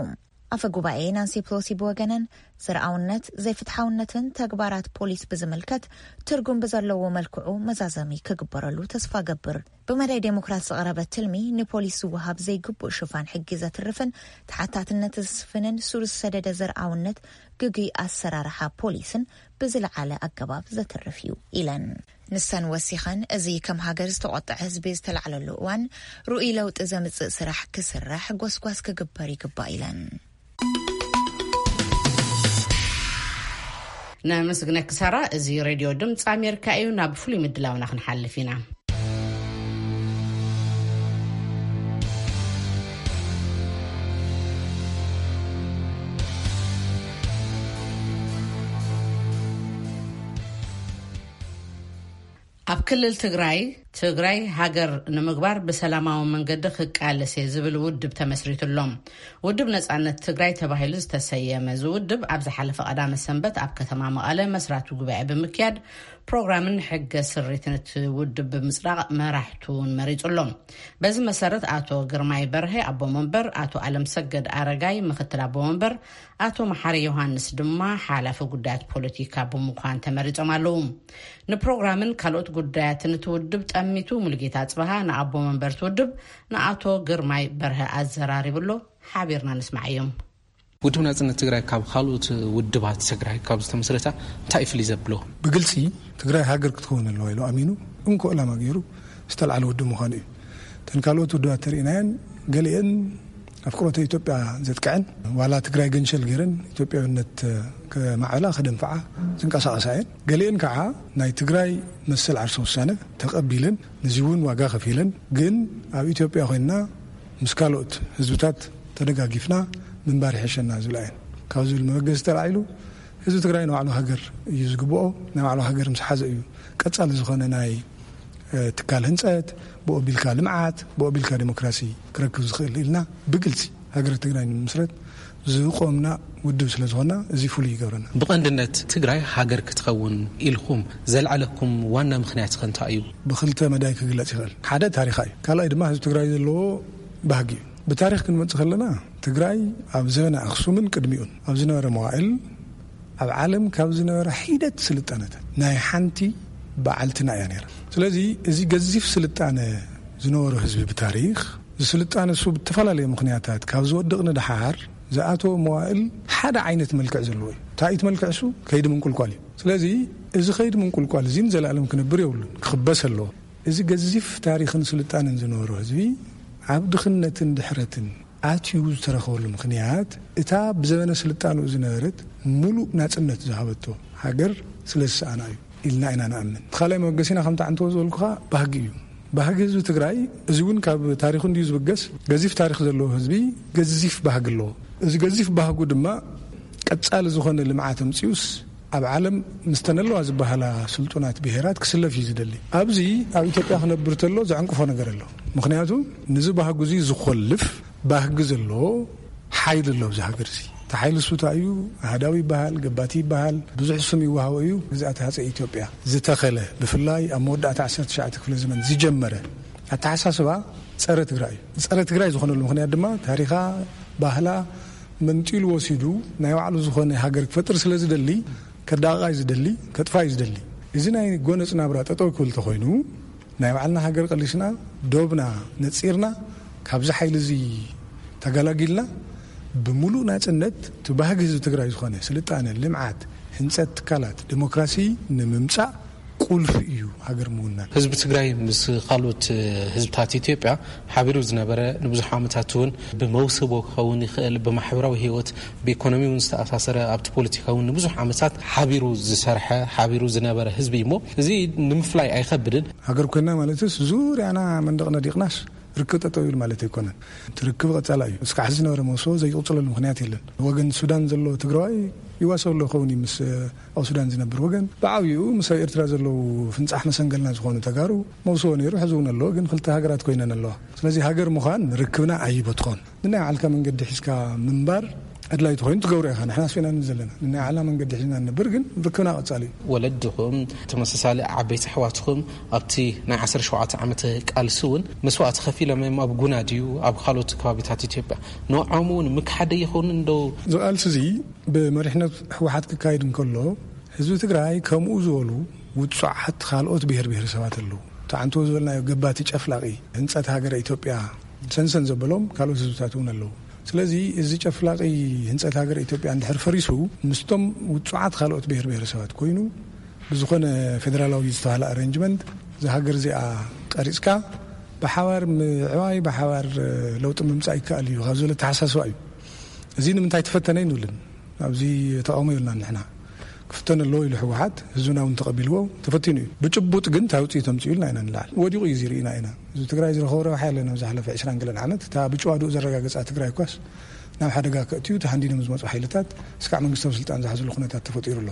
ኣፈ ጉባኤ ናንሲ ፕሎሲ ብወገነን፣ ዘርኣውነት ዘይፍትሓውነትን ተግባራት ፖሊስ ብዝምልከት ትርጉም ብዘለዎ መልክዑ መዛዘሚ ክግበረሉ ተስፋ ገብር። ብመዳይ ዴሞክራት ዝቐረበ ትልሚ ንፖሊስ ዝወሃብ ዘይግቡእ ሽፋን ሕጊ ዘትርፍን ተሓታትነት ዘስፍንን ስሩስ ሰደደ ዘርኣውነት ግጉይ ኣሰራርሓ ፖሊስን ብዝለዓለ ኣገባብ ዘትርፍ እዩ ኢለን። ንሰን ወሲኸን፣ እዚ ከም ሃገር ዝተቖጥዐ ህዝቢ ዝተላዕለሉ እዋን ርኡይ ለውጢ ዘምጽእ ስራሕ ክስራሕ ጎስጓስ ክግበር ይግባእ ኢለን። ነመስግነኪ ሳራ። እዚ ሬድዮ ድምፂ ኣሜሪካ እዩ። ናብ ፍሉይ ምድላውና ክንሓልፍ ኢና። ኣብ ክልል ትግራይ፣ ትግራይ ሃገር ንምግባር ብሰላማዊ መንገዲ ክቃለስ እየ ዝብል ውድብ ተመስሪቱ ኣሎ። ውድብ ነጻነት ትግራይ ተባሂሉ ዝተሰየመ እዚ ውድብ፣ ኣብ ዝሓለፈ ቀዳመ ሰንበት ኣብ ከተማ መቐለ መስራቲ ጉባኤ ብምክያድ፣ ፕሮግራምን ሕገ ስሪትን እቲ ውድብ ብምጽዳቕ መራሕቱ እውን መሪጹ ኣሎ። በዚ መሰረት፣ ኣቶ ግርማይ በርሀ ኣቦ መንበር፣ ኣቶ ኣለምሰገድ ኣረጋይ ምክትል ኣቦ መንበር፣ ኣቶ መሓሪ ዮሃንስ ድማ ሓላፊ ጉዳያት ፖለቲካ ብምዃን ተመሪጾም ኣለዉ። ንፕሮግራምን ካልኦት ጉዳያትን እቲ ውድብ ጠሚቱ፣ ሙሉጌታ ኣጽብሃ ንኣቦ መንበር እቲ ውድብ ንኣቶ ግርማይ በርሀ ኣዘራሪቡ ኣሎ። ሓቢርና ንስማዓዮም። ውድብ ናጽነት ትግራይ ካብ ካልኦት ውድባት ትግራይ ካብ ዝተመስረታ እንታይ እዩ ፍልይ ዘብሎ? ብግልጺ ትግራይ ሃገር ክትከውን ኣለዋ ኢሉ ኣሚኑ እንኮ ዕላማ ገይሩ ዝተልዓለ ውድብ ምዃኑ እዩ። እተን ካልኦት ውድባት ተርእናየን፣ ገሊአን ኣፍቅሮተ ኢትዮጵያ ዘጥቅዐን፣ ዋላ ትግራይ ገንሸል ገይረን ኢትዮጵያዊነት ከማዕብላ ከደንፍዓ ዝንቀሳቐሳ እየን። ገሊአን ከዓ ናይ ትግራይ መሰል ዓርሰ ውሳነ ተቐቢለን፣ ነዚ እውን ዋጋ ከፊለን፣ ግን ኣብ ኢትዮጵያ ኮይንና ምስ ካልኦት ህዝብታት ተደጋጊፍና ምንባር ይሕሸና ዝብላ እየን። ካብ ዝብል መበገሲ ተላዒሉ፣ ህዝቢ ትግራይ ንባዕሉ ሃገር እዩ ዝግብኦ። ናይ ባዕሉ ሃገር ምስ ሓዘ እዩ ቀጻሊ ዝኾነ ናይ፣ እ፣ ትካል ህንጸት፣ ብኡ ኣቢልካ ልምዓት፣ ብኡ ኣቢልካ ዲሞክራሲ ክረክብ ዝኽእል ኢልና ብግልጺ ሃገረ ትግራይ ንምስረት ዝቆምና ውድብ ስለ ዝኾንና፣ እዚ ፍሉይ ይገብረና። ብቐንድነት ትግራይ ሃገር ክትኸውን ኢልኩም ዘልዓለኩም ዋና ምኽንያት ኸ እንታይ እዩ? ብኽልተ መዳይ ክግለጽ ይኽእል። ሓደ ታሪኻ እዩ። ካልኣይ ድማ ህዝቢ ትግራይ ዘለዎ ባህጊ እዩ። ብታሪኽ ክንመጽእ ከለና፣ ትግራይ ኣብ ዘበነ ኣኽሱምን ቅድሚኡን ኣብ ዝነበረ መዋእል፣ ኣብ ዓለም ካብ ዝነበረ ሒደት ስልጣነታት ናይ ሓንቲ በዓልትና እያ ነይራ። ስለዚ፣ እዚ ገዚፍ ስልጣነ ዝነበሮ ህዝቢ ብታሪኽ፣ እዚ ስልጣነ እሱ ብተፈላለየ ምኽንያታት ካብ ዝወድቕ ንደሓር ዝኣተወ መዋእል ሓደ ዓይነት መልክዕ ዘለዎ እዩ። እንታይ እቲ መልክዕ እሱ? ከይዲ ምንቁልቋል እዩ። ስለዚ፣ እዚ ከይዲ ምንቁልቋል እዚ ንዘለኣለም ክነብር የብሉን፣ ክኽበስ ኣለዎ። እዚ ገዚፍ ታሪኽን ስልጣነን ዝነበሮ ህዝቢ ኣብ ድኽነትን ድሕረትን ኣትዩ ዝተረኸበሉ ምኽንያት፣ እታ ብዘበነ ስልጣንኡ ዝነበረት ምሉእ ናጽነት ዝሃበቶ ሃገር ስለ ዝሰኣና እዩ ኢልና ኢና ንኣምን። እቲ ካልኣይ መበገሲና፣ ከምቲ ዓንተቦ ዝበልኩኻ፣ ባህጊ እዩ። ባህጊ ህዝቢ ትግራይ፣ እዚ እውን ካብ ታሪኹ እንድዩ ዝብገስ፣ ገዚፍ ታሪኽ ዘለዎ ህዝቢ ገዚፍ ባህጊ ኣለዎ። እዚ ገዚፍ ባህጉ ድማ ቀጻሊ ዝኾነ ልምዓት ኣምጺኡስ ኣብ ዓለም ምስተን ኣለዋ ዝበሃላ ስልጡናት ብሄራት ክስለፍ እዩ ዝደሊ። ኣብዚ ኣብ ኢትዮጵያ ክነብር ተሎ ዘዕንቅፎ ነገር ኣሎ። ምኽንያቱ፣ ንዚ ባህጉ እዚ ዝኾልፍ ባህጊ ዘለዎ ሓይሊ ኣሎ ኣብዚ ሃገር እዚ። እቲ ሓይሊ እሱ እንታይ እዩ? ኣሃዳዊ ይበሃል፣ ገባቲ ይበሃል፣ ብዙሕ ስም ይወሃቦ እዩ። ግዝኣት ሃፀይ ኢትዮጵያ ዝተኸለ፣ ብፍላይ ኣብ መወዳእታ ዓሰርተ ትሽዓተ ክፍለ ዘመን ዝጀመረ ኣተሓሳስባ ጸረ ትግራይ እዩ። ጸረ ትግራይ ዝኾነሉ ምኽንያት ድማ፣ ታሪኻ፣ ባህላ መንጢሉ ወሲዱ ናይ ባዕሉ ዝኾነ ሃገር ክፈጥር ስለ ዝደሊ፣ ከዳቕቓ እዩ ዝደሊ፣ ከጥፋ እዩ ዝደሊ። እዚ ናይ ጎነጽ ናብራ ጠጠው ክብል ተኾይኑ፣ ናይ ባዕልና ሃገር ቀሊስና፣ ዶብና ነጺርና፣ ካብዚ ሓይሊ እዚ ተገላጊልና፣ ብምሉእ ናጽነት እቲ ባህጊ ህዝቢ ትግራይ ዝኾነ ስልጣነ፣ ልምዓት፣ ህንጸት ትካላት፣ ዲሞክራሲ ንምምጻእ ቁልፊ እዩ ሃገር ምውናን። ህዝቢ ትግራይ ምስ ካልኦት ህዝብታት ኢትዮጵያ ሓቢሩ ዝነበረ፣ ንብዙሕ ዓመታት እውን ብመውስቦ ክኸውን ይኽእል፣ ብማሕበራዊ ህይወት፣ ብኢኮኖሚ እውን ዝተኣሳሰረ፣ ኣብቲ ፖለቲካ እውን ንብዙሕ ዓመታት ሓቢሩ ዝሰርሐ፣ ሓቢሩ ዝነበረ ህዝቢ እዩ። እሞ እዚ ንምፍላይ ኣይኸብድን። ሃገር ኮይና ማለትስ ዙርያና መንደቕ ነዲቕናስ ርክብ ጠጠው ይብል ማለት ኣይኮነን። እቲ ርክብ ቀጻላ እዩ። እስካዕ ሕዚ ዝነበረ መውስቦ ዘይቅጽለሉ ምኽንያት የለን። ወገን ሱዳን ዘሎ ትግራዋይ ይዋሰብ ኣሎ ይኸውን እዩ ምስ ኣብ ሱዳን ዝነብር ወገን። ብዓብይኡ ምስ ኣብ ኤርትራ ዘለዉ ፍንጻሕ መሰንገልና ዝኾኑ ተጋሩ መውስቦ ነይሩ፣ ሕዚ እውን ኣሎ፣ ግን ክልተ ሃገራት ኮይነን ኣለዋ። ስለዚ ሃገር ምዃን ርክብና ኣይበትኾን። ንናይ ባዕልካ መንገዲ ሒዝካ ምንባር ኣድላይ ተኾይኑ ትገብሮ ኢኻ። ንሕና ኣስፊና ዘለና፣ ናይ ዓላ መንገዲ ሒዝና ንነብር፣ ግን ርክብና ቀጻሊ እዩ። ወለድኹም፣ ተመሳሳሊ ዓበይቲ ኣሕዋትኹም ኣብቲ ናይ ዓሰርተ ሸውዓተ ዓመት ቃልሲ እውን መስዋእቲ ከፊሎም እዮም። ኣብ ጉና ድዩ ኣብ ካልኦት ከባቢታት ኢትዮጵያ፣ ንዖም እውን ምክሓደ ይኸውን እንዶ? እዚ ቃልሲ እዚ ብመሪሕነት ህወሓት ክካየድ እንከሎ፣ ህዝቢ ትግራይ ከምኡ ዝበሉ ውጹዓት ካልኦት ብሔር ብሔረሰባት ኣለዉ። ተዓንቶ ዝበልናዮ ገባቲ ጨፍላቂ ህንጸት ሃገረ ኢትዮጵያ ሰንሰን ዘበሎም ካልኦት ህዝብታት እውን ኣለዉ። ስለዚ እዚ ጨፍላቂ ህንጸት ሃገረ ኢትዮጵያ እንድሕር ፈሪሱ፣ ምስቶም ውጹዓት ካልኦት ብሔር ብሔረሰባት ኮይኑ ብዝኾነ ፌደራላዊ ዝተባህለ ኣረንጅመንት እዛ ሃገር እዚኣ ቀሪጽካ ብሓባር ምዕባይ፣ ብሓባር ለውጢ ምምጻእ ይከኣል እዩ ካብ ዝብል ኣተሓሳስባ እዩ። እዚ ንምንታይ ተፈተነ ይንብልን ኣብዚ ተቃውሞ የብልናን ንሕና። ክፍተን ኣለዎ ኢሉ ህወሓት፣ ህዝብና እውን ተቐቢልዎ፣ ተፈቲኑ እዩ። ብጭቡጥ ግን እንታይ ውፅኢት ኣምፅኡ ኢልና ኢና ንላዕል። ወዲቑ እዩ እዚ ርኢና ኢና። ህዝቢ ትግራይ ዝረኸቦ ረብሓ የለን። ኣብ ዝሓለፈ ዕስራን ገለን ዓመት እታ ብጭዋድኡ ዘረጋገፃ ትግራይ እኳስ ናብ ሓደጋ ከእትዩ ተሃንዲዶም ዝመፁ ሓይልታት እስካዕ መንግስታዊ ስልጣን ዝሓዝሉ ኩነታት ተፈጢሩ ኣሎ።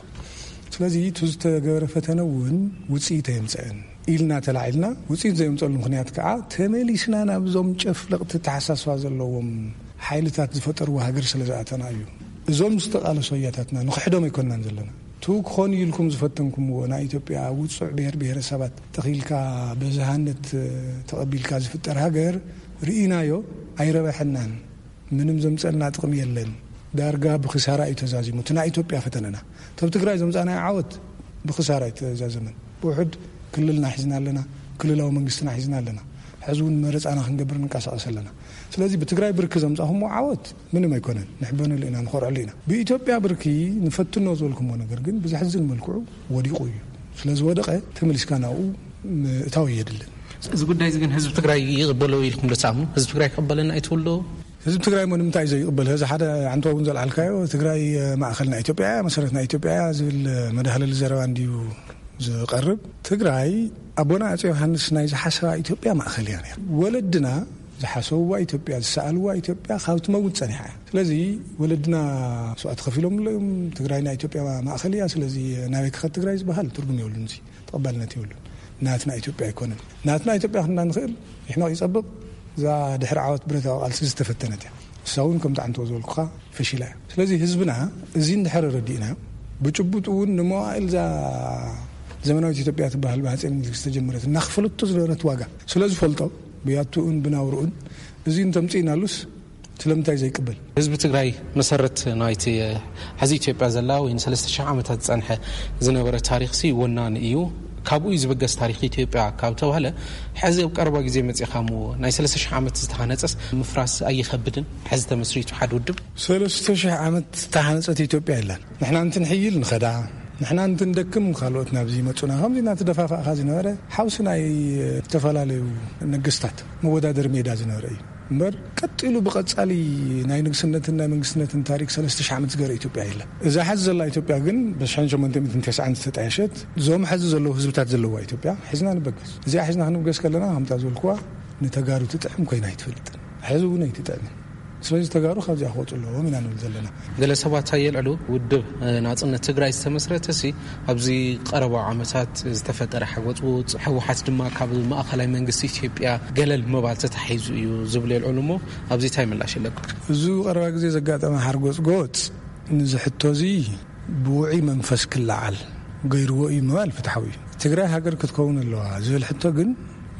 ስለዚ እቲ ዝተገበረ ፈተነ እውን ውፅኢት ኣየምፀአን ኢልና ተላዒልና፣ ውፅኢት ዘየምፀሉ ምኽንያት ከዓ ተመሊስና ናብዞም ጨፍለቕቲ ተሓሳስባ ዘለዎም ሓይልታት ዝፈጠርዎ ሃገር ስለ ዝኣተና እዩ። እዞም ዝተቓለሱ ኣያታትና ንኽሕዶም ኣይኮንናን ዘለና። እቲ ክኾን ኢልኩም ዝፈተንኩምዎ ናይ ኢትዮጵያ ውጹዕ ብሔር ብሔረሰባት ተኺልካ ብዝሃነት ተቐቢልካ ዝፍጠር ሃገር ርኢናዮ፣ ኣይረበሐናን። ምንም ዘምፀልና ጥቕሚ የለን። ዳርጋ ብክሳራ እዩ ተዛዚሙ። እቲ ናይ ኢትዮጵያ ፈተነና፣ ተብ ትግራይ ዘምፃናዮ ዓወት ብክሳራ እዩ ተዛዘመን። ብውሕድ ክልልና ሒዝና ኣለና፣ ክልላዊ መንግስትና ሒዝና ኣለና። ሕዚ እውን መረፃና ክንገብር ንንቀሳቐስ ኣለና። ስለዚ ብትግራይ ብርኪ ዘምፃኹምዎ ዓወት ምንም ኣይኮነን። ንሕበነሉ ኢና፣ ንኾርዐሉ ኢና። ብኢትዮጵያ ብርኪ ንፈትኖ ዝበልኩምዎ ነገር ግን ብዘሕዝን መልክዑ ወዲቑ እዩ። ስለ ዝወደቐ ተመሊስካ ናብኡ ምእታው የድልን። እዚ ጉዳይ እዚ ግን ህዝቢ ትግራይ ይቕበሎ ኢልኩም ዶ ትኣምኑ? ህዝቢ ትግራይ ክቕበለና እዩ ትብሉ ዶ? ህዝቢ ትግራይ እሞ ንምንታይ እዩ ዘይቕበል? እዚ ሓደ ዓንቶ እውን ዘልዓልካዮ፣ ትግራይ ማእኸል ናይ ኢትዮጵያ እያ፣ መሰረት ናይ ኢትዮጵያ እያ ዝብል መዳህለሊ ዘረባ እንድዩ ዝቐርብ። ትግራይ ኣቦና ኣጼ ዮሃንስ ናይ ዝሓሰባ ኢትዮጵያ ማእኸል እያ ነይራ። ወለድና ዝሓሰብዋ ኢትዮጵያ፣ ዝሰኣልዋ ኢትዮጵያ ካብ ትመውት ጸኒሓ እያ። ስለዚ ወለድና መስዋእቲ ከፊሎም እዮም። ትግራይ ናይ ኢትዮጵያ ማእኸል እያ። ስለዚ ናበይ ክኸድ ትግራይ ዝበሃል ትርጉም የብሉን። እዚ ተቐባልነት የብሉን። ናትና ኢትዮጵያ ኣይኮነን። ናትና ኢትዮጵያ ክንና ንኽእል ይሕመቕ ይጸብቕ፣ እዛ ድሕሪ ዓወት ብረታዊ ቃልሲ ዝተፈተነት እያ። እሳ እውን ከምቲ ዓንቶ ዝበልኩኻ ፈሺላ እያ። ስለዚ ህዝብና እዚ እንድሕር ረዲእና፣ ብጭቡጥ እውን ንመዋእል እዛ ዘመናዊት ኢትዮጵያ ትበሃል ብሃፀይ ምኒልክ ዝተጀመረት እናኽፈለቶ ዝነበረት ዋጋ ስለ ዝፈልጦ፣ ብያትኡን ብናውርኡን እዚ እንተምፅእናሉስ ስለምንታይ ዘይቅበል? ህዝቢ ትግራይ መሰረት ናይቲ ሕዚ ኢትዮጵያ ዘላ ወይ ንሰለስተ ሽሕ ዓመታት ዝፀንሐ ዝነበረ ታሪኽሲ ወናኒ እዩ። ካብኡ እዩ ዝብገስ ታሪኽ ኢትዮጵያ ካብ ተባህለ፣ ሕዚ ኣብ ቀረባ ግዜ መፂኻሞ ናይ ሰለስተ ሽሕ ዓመት ዝተሃነፀስ ምፍራስ ኣይኸብድን? ሕዚ ተመስሪቱ ሓደ ውድብ ሰለስተ ሽሕ ዓመት ዝተሃነፀት ኢትዮጵያ የላን። ንሕና እንትንሕይል ንኸዳ፣ ንሕና እንትንደክም ካልኦት ናብዚ ይመፁና። ከምዚ እናተደፋፋእካ ዝነበረ ሓውሲ ናይ ዝተፈላለዩ ነገስታት መወዳደሪ ሜዳ ዝነበረ እዩ እምበር፣ ቀጢሉ ብቐጻሊ ናይ ንግስነትን ናይ መንግስትነትን ታሪክ ሰለስተ ሽሕ ዓመት ዝገበረ ኢትዮጵያ የለን። እዛ ሓዚ ዘላ ኢትዮጵያ ግን ብሽሕን ሸሞንተ ሚእትን ተስዓን ዝተጣየሸት፣ እዞም ሕዚ ዘለዉ ህዝብታት ዘለዋ ኢትዮጵያ ሒዝና ንበገስ። እዚኣ ሒዝና ክንብገስ ከለና፣ ከምታ ዝበልኩዋ፣ ንተጋሩ ትጥዕም ኮይና ኣይትፈልጥን። ሕዚ እውን ኣይትጥዕምን። ስለዚ ተጋሩ ካብዚኣ ክወፁ ኣለዎም ኢና ንብል ዘለና። ገለ ሰባት ኣየልዕሉ፣ ውድብ ናጽነት ትግራይ ዝተመስረተ ሲ ኣብዚ ቀረባ ዓመታት ዝተፈጠረ ሓጎጽጎጽ፣ ህወሓት ድማ ካብ ማእኸላይ መንግስቲ ኢትዮጵያ ገለል ምባል ተታሒዙ እዩ ዝብሉ የልዕሉ እሞ፣ ኣብዚ እንታይ ምላሽ ኣለኩም? እዚ ቀረባ ግዜ ዘጋጠመ ሓርጎጽጎጽ፣ ንዚ ሕቶ እዚ ብውዑይ መንፈስ ክለዓል ገይርዎ እዩ ምባል ፍትሓዊ እዩ። ትግራይ ሃገር ክትከውን ኣለዋ ዝብል ሕቶ ግን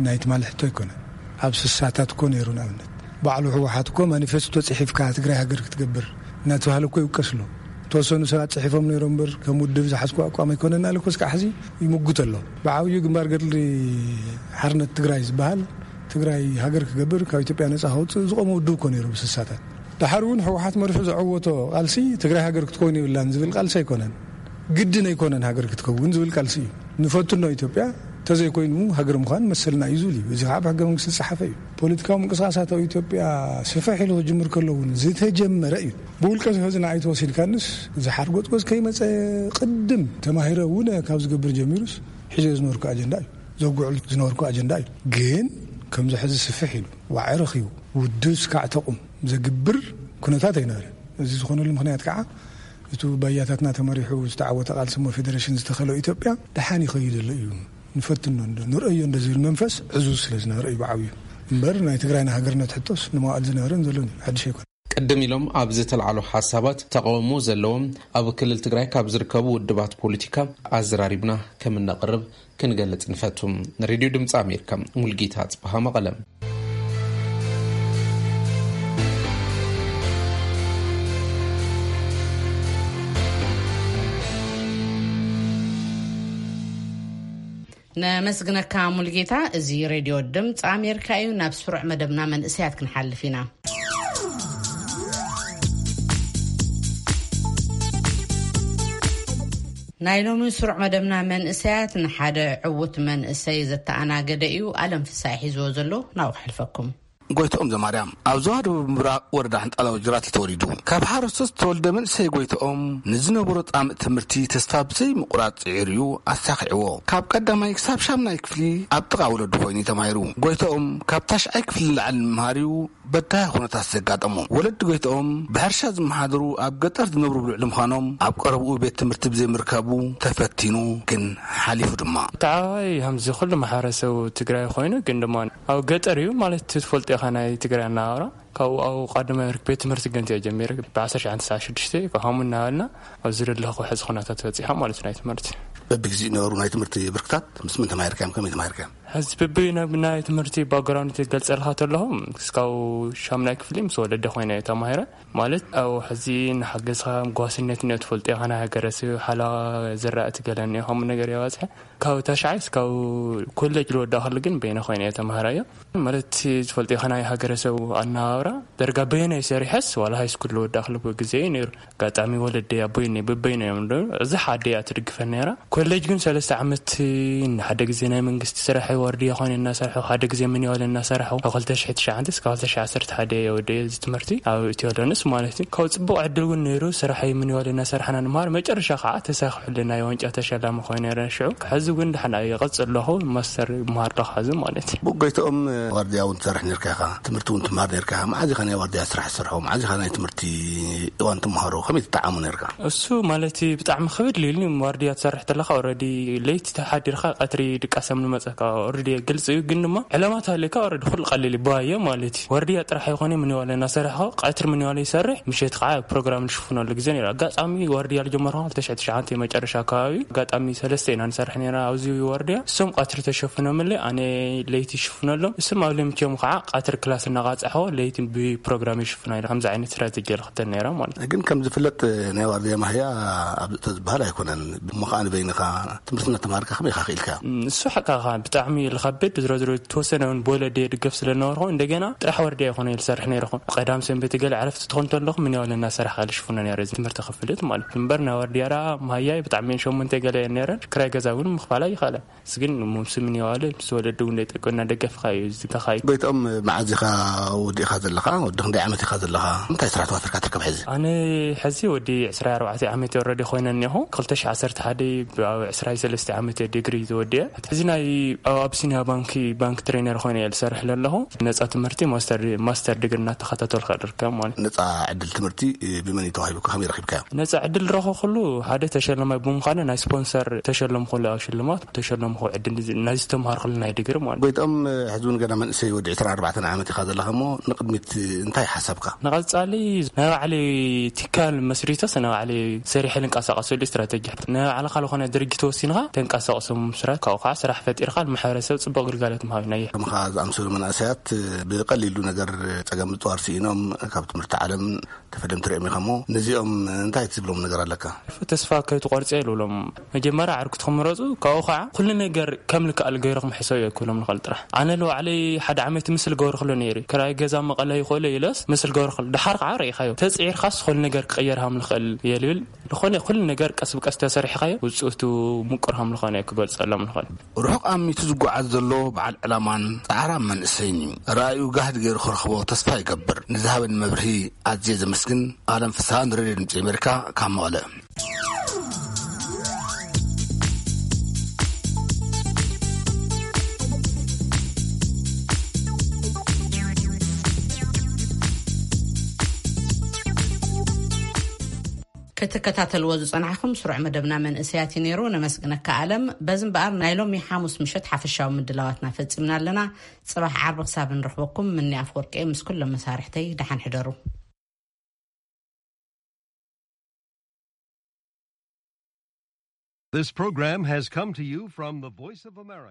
ናይ ትማሊ ሕቶ ኣይኮነን። ኣብ ስሳታት እኮ ነይሩ። ንኣብነት፣ ባዕሉ ህወሓት እኮ ማኒፌስቶ ጽሒፍካ ትግራይ ሃገር ክትገብር እናተባህለ እኮ ይውቀስ ኣሎ። ዝተወሰኑ ሰባት ጽሒፎም ነይሮም እምበር፣ ከም ውድብ ዝሓዝኩ ኣቋም ኣይኮነን ኣለ እኮ እስካዕ ሕዚ ይምጉት ኣሎ። ብዓብዩ ግንባር ገድሊ ሓርነት ትግራይ ዝበሃል፣ ትግራይ ሃገር ክገብር፣ ካብ ኢትዮጵያ ነጻ ከውጽእ ዝቆመ ውድብ እኮ ነይሩ ብስሳታት። ደሓር እውን ህወሓት መሪሑ ዘዐወቶ ቃልሲ ትግራይ ሃገር ክትከውን የብላን ዝብል ቃልሲ ኣይኮነን። ግድን ኣይኮነን ሃገር ክትከውን ዝብል ቃልሲ እዩ። ንፈትኖ ኢትዮጵያ፣ ተዘይኮይኑ ሃገር ምዃን መሰልና እዩ ዝብል እዩ። እዚ ከዓ ብሕገ መንግስቲ ዝፀሓፈ እዩ። ፖለቲካዊ ምንቅስቃሳት ኣብ ኢትዮጵያ ስፍሕ ኢሉ ክጅምር ከሎ እውን ዝተጀመረ እዩ። ብውልቀ ህዝና ኣይተወሲድካንስ፣ እዚ ሓርጎጽጎጽ ከይመፀ ቅድም ተማሂረ እውን ካብ ዝገብር ጀሚሩስ ሒዞ ዝነበርኩ ኣጀንዳ እዩ። ዘጉዕል ዝነበርኩ ኣጀንዳ እዩ። ግን ከምዚ ሕዚ ስፍሕ ኢሉ፣ ዋዒ ረኺቡ፣ ውድብ ስካዕ ተቑም ዘግብር ኩነታት ኣይነበረን። እዚ ዝኾነሉ ምኽንያት ከዓ፣ እቲ ባያታትና ተመሪሑ ዝተዓወተ ቃልሲ እሞ ፌደሬሽን ዝተኸሎ ኢትዮጵያ ደሓን ይኸይድ ዘሎ እዩ። ንፈትኖ እንዶ፣ ንርእዮ እንዶ ዝብል መንፈስ ዕዙዝ ስለ ዝነበረ እዩ ብዓብዩ። እምበር ናይ ትግራይና ሃገርነት ሕቶስ ንመዋእል ዝነበረን ዘሎን እዩ። ሓድሽ ኣይኮነን። ቅድም ኢሎም ኣብ ዝተልዓሉ ሓሳባት ተቃውሞ ዘለዎም ኣብ ክልል ትግራይ ካብ ዝርከቡ ውድባት ፖለቲካ ኣዘራሪብና ከም እነቕርብ ክንገልጽ ንፈቱ። ንሬድዮ ድምፂ ኣሜሪካ፣ ሙልጌታ ጽብሃ፣ መቐለ። ነመስግነካ ሙልጌታ። እዚ ሬድዮ ድምፂ ኣሜሪካ እዩ። ናብ ስሩዕ መደብና መንእሰያት ክንሓልፍ ኢና። ናይ ሎሚ ስሩዕ መደብና መንእሰያት ንሓደ ዕዉት መንእሰይ ዘተኣናገደ እዩ። ኣለም ፍሳይ ሒዝዎ ዘሎ ናብኡ ክሕልፈኩም። ጎይትኦም ዘማርያም ኣብ ዞባ ደቡብ ምብራቕ ወረዳ ሕንጣላ ወጅራት ተወሊዱ። ካብ ሓረስቶት ዝተወልደ መንእሰይ ጎይትኦም ንዝነበሮ ጻምእ ትምህርቲ ተስፋ ብዘይ ምቑራጽ ጽዒሩ እዩ ኣሳኺዕዎ። ካብ ቀዳማይ ክሳብ ሻምናይ ክፍሊ ኣብ ጥቓ ወለዱ ኮይኑ እዩ ተማሂሩ። ጎይትኦም ካብ ታሽዓይ ክፍሊ ንላዕሊ ንምምሃር እዩ በዳሂ ኩነታት ዘጋጠሞ። ወለዲ ጎይትኦም ብሕርሻ ዝመሓደሩ ኣብ ገጠር ዝነብሩ ብልዕሊ ምዃኖም ኣብ ቀረብኡ ቤት ትምህርቲ ብዘይምርካቡ ተፈቲኑ ግን ሓሊፉ ድማ። ተዓዋይ ከምዚ ኩሉ ማሕበረሰብ ትግራይ ኮይኑ ግን ድማ ኣብ ገጠር እዩ ማለት ትፈልጦ ኢኻ ናይ ትግራይ ኣነባብራ። ካብኡ ኣብ ቀዳማይ ብርኪ ቤት ትምህርቲ ገንዘ ጀሚረ ብ1996 ከሃሙ እናበልና ኣብዚ ዘለኹ ሕዚ ኩነታት በፂሖም ማለት ናይ ትምህርቲ። በብግዜኡ ነበሩ ናይ ትምህርቲ ብርክታት ምስ ምን ተማሂርካዮም ከመይ ተማሂርካዮም? ሕዚ ብብይ ናብ ናይ ትምህርቲ ባክግራውንድ ትገልጸልካ ተለኹ እስካብ ሻምናይ ክፍሊ ምስ ወለደ ኮይነ ተማሂረ። ማለት ኣብ ሕዚ ንሓገዝካ ጓስነት እኒኦ ትፈልጦ ኢኻ ናይ ሃገረሰብ ሓላ ዝራእቲ ገለ እኒኦ ከምኡ ነገር የባፅሐ። ካብ ታሽዓይ እስካብ ኮሌጅ ልወዳእክሉ ግን በይነ ኮይነ እየ ተማሃራዮ። ማለት ዝፈልጦ ኢኻ ናይ ሃገረሰብ ኣነባብራ ደርጋ በየናይ ሰሪሐስ ዋላ ሃይስኩል ልወዳእክሉ ግዜ እዩ ነይሩ። ኣጋጣሚ ወለደይ ኣቦይ እኒ ብበይኖ እዮም ዶ እዚ ሓደ እያ ትድግፈን ነይራ። ኮሌጅ ግን ሰለስተ ዓመት ሓደ ግዜ ናይ መንግስቲ ስራሕ ወርድያ ኮይነ እናሰርሐ ሓደ ግዜ ምንዋለ እናሰርሐ ካብ 2009 እስካብ 2011 እየ ወደ እዚ ትምህርቲ ኣብ ኢትዮ ሎንስ ማለት እዩ። ካብ ፅቡቅ ዕድል እውን ነይሩ ስራሕ ምንዋለ እናሰርሐና ንምሃር መጨረሻ ከዓ ተሳኺሑልና ናይ ዋንጫ ተሸላሚ ኮይነ ነረ ሽዑ። ሕዚ እውን ድሓን እየ ቀፅል ኣለኹ ማስተር ይምሃር ኣለኹ ሕዚ ማለት እዩ። ብጎይትኦም ዋርድያ እውን ትሰርሕ ነርካ ኢኻ፣ ትምህርቲ እውን ትምሃር ነርካ ኢኻ። መዓዝ ኢኻ ናይ ዋርድያ ስራሕ ትሰርሖ? መዓዝ ኢኻ ናይ ትምህርቲ እዋን ትምሃሮ? ከመይ ትጠዓሞ ነርካ? እሱ ማለት ብጣዕሚ ክብድ ኢሉኒ። ዋርድያ ትሰርሕ ተለካ ኦረዲ ለይቲ ተሓዲርካ ቀትሪ ድቃሰም ንመፀካ ኦረዲ ግልፂ እዩ። ግን ድማ ዕላማ ተሃልየካ ኦረዲ ኩሉ ቀሊል ይባዮ ማለት እዩ። ዋርድያ ጥራሕ ይኮነ ምንዋለ እናሰራሕኮ ቀትሪ ምንዋለ ይሰርሕ፣ ምሸት ከዓ ፕሮግራም ንሽፍነሉ ግዜ ነይሩ። ኣጋጣሚ ዋርድያ ልጀመርኩ 2009 መጨረሻ ኣካባቢ ኣጋጣሚ ሰለስተ ኢና ንሰርሕ ነይራ ኣብዚ ዋርድያ። እሶም ቀትሪ ተሸፍኖምለይ ኣነ ለይቲ ይሽፍነሎም። እሶም ኣብ ለምቸም ከዓ ቀትሪ ክላስ እናቃፃሕዎ ለይቲ ብፕሮግራም ይሽፍና ኢለ ከምዚ ዓይነት ስትራቴጂ ልክተል ነይራ ማለት እዩ። ግን ከም ዝፍለጥ ናይ ዋርድያ ማህያ ኣብ ተዝበሃል ኣይኮነን። እሞ ከዓ ንበይንኻ ትምህርቲ እናተማሃርካ ከመይ ኢኻ ክኢልካ? እም፣ እሱ ሓቃኻ ብጣዕሚ ልኸብድ ዝሮ ዝሮ ተወሰነ እውን ብወለደ ድገፍ ስለነበርኩ እንደገና ጥራሕ ወርድያ ይኮነ ልሰርሕ ነይርኹ። ቀዳም ሰንበት ገለ ዕረፍቲ ትኾን ተለኹ ምን ያወለ እናሰራሕ ካልሽፉነ ነይረ ትምህርቲ ክፍልት ማለት እዩ። እምበር ናይ ወርድያ ራ ማህያይ ብጣዕሚ ሸሞንተ ገለ እየን ነይረን። ክራይ ገዛ እውን ምኽፋል ኣይኸእለን። ስግን ሙምስምን የዋለ ምስ ወለዱ እውን ደይጠቀና ደገፍካ እዩ ዝተኻይ። ጎይትኦም፣ መዓዝ ኢኻ ወዲእኻ ዘለኻ? ወዲ ክንደይ ዓመት ኢኻ ዘለኻ? እንታይ ስራሕ ተዋፊርካ ትርከብ ሕዚ? ኣነ ሕዚ ወዲ ዕስራ ኣርባዕተ ዓመት ወረዲ ኮይነ እኒኹ። 2011 ኣብ ዕስራ ሰለስተ ዓመት ዲግሪ ዝወዲአ። ሕዚ ናይ ኣብ ኣብሲኒያ ባንኪ ባንክ ትሬነር ኮይነ እየ ዝሰርሕ ዘለኹ። ነፃ ትምህርቲ ማስተር ማስተር ዲግሪ እናተኸታተልካ ድርከብ ማለት። ነፃ ዕድል ትምህርቲ ብመን እዩ ተዋሂቡካ? ከመይ ረኺብካዮ? ነፃ ዕድል ረኸ ኩሉ ሓደ ተሸለማይ ብምዃነ ናይ ስፖንሰር ተሸለምኩሉ ኣብ ሽልማት ተሸለምኩ ዕድል ናይ ዝተምሃርኩሉ ናይ ዲግሪ ማለት። ጎይቶም፣ ሕዚ እውን ገና መንእሰይ ወዲ ዕስራን ኣርባዕተን ዓመት ኢኻ ዘለኻ እሞ ንቕድሚት እንታይ ሓሳብካ? ንቐጻሊ ናይ ባዕለይ ትካል መስሪተስ ናይ ባዕለይ ሰሪሐ ልንቀሳቐሰሉ ስትራተጂ። ናይ ባዕልኻ ዝኾነ ድርጅት ወሲንኻ ተንቀሳቕሶም ስራሕ ካብኡ ከዓ ስራሕ ፈጢርካ ንማሕበረሰብ ጽቡቕ ግልጋሎት ምሃብ ናይ ከምኻ ዝኣምሰሉ መናእሰያት ብቐሊሉ ነገር ጸገም ምጽዋር ስኢኖም ካብ ትምህርቲ ዓለም ተፈለምቲ ርኦም ኢኻ እሞ ነዚኦም እንታይ ትብሎም ነገር ኣለካ? ተስፋ ከይትቆርጽ እየ ልብሎም። መጀመርያ ዓርኩ ትኽምረጹ ካብኡ ከዓ ኩሉ ነገር ከም ልክኣል ገይርኩም ሕሰብ እየ ክብሎም ንኽእል ጥራሕ። ኣነ ልባዕለይ ሓደ ዓመት ምስል ገበርክሎ ነይሩ። ክራይ ገዛ መቐለ ይኽእሎ ኢለስ ምስል ገበርክሎ። ድሓር ከዓ ርኢኻዮ። ተጽዒርካስ ኩሉ ነገር ክቕየር ሃም ንኽእል እየ ልብል። ዝኾነ ኩሉ ነገር ቀስ ብቀስ ተሰሪሕካዮ ውፅእቱ ምቁር ሃም ዝኾነ እየ ክገልጸሎም ንኽእል። ርሑቕ ኣሚቱ ዝጓዓዝ ዘሎ በዓል ዕላማን ጻዕራም መንእሰይን እዩ። ራእዩ ጋህዲ ገይሩ ክረኽቦ ተስፋ ይገብር። ንዝሃበኒ መብርሂ ኣዝየ ዘመስግን። ኣለም ፍስሃ ንሬድዮ ድምፂ ኣሜሪካ ካብ መቐለ። ክትከታተልዎ ዝጸናሕኩም ስሩዕ መደብና መንእሰያት እዩ ነይሩ። ነመስግነካ ኣለም። በዚ እምበኣር ናይ ሎሚ ሓሙስ ምሸት ሓፈሻዊ ምድላዋትና ፈጺምና ኣለና። ጽባሕ ዓርቢ ክሳብ ንረኽበኩም ምኒ ኣፍወርቂ ምስ ኩሎም መሳርሕተይ ደሓን ሕደሩ። This program has come to you from the Voice of America.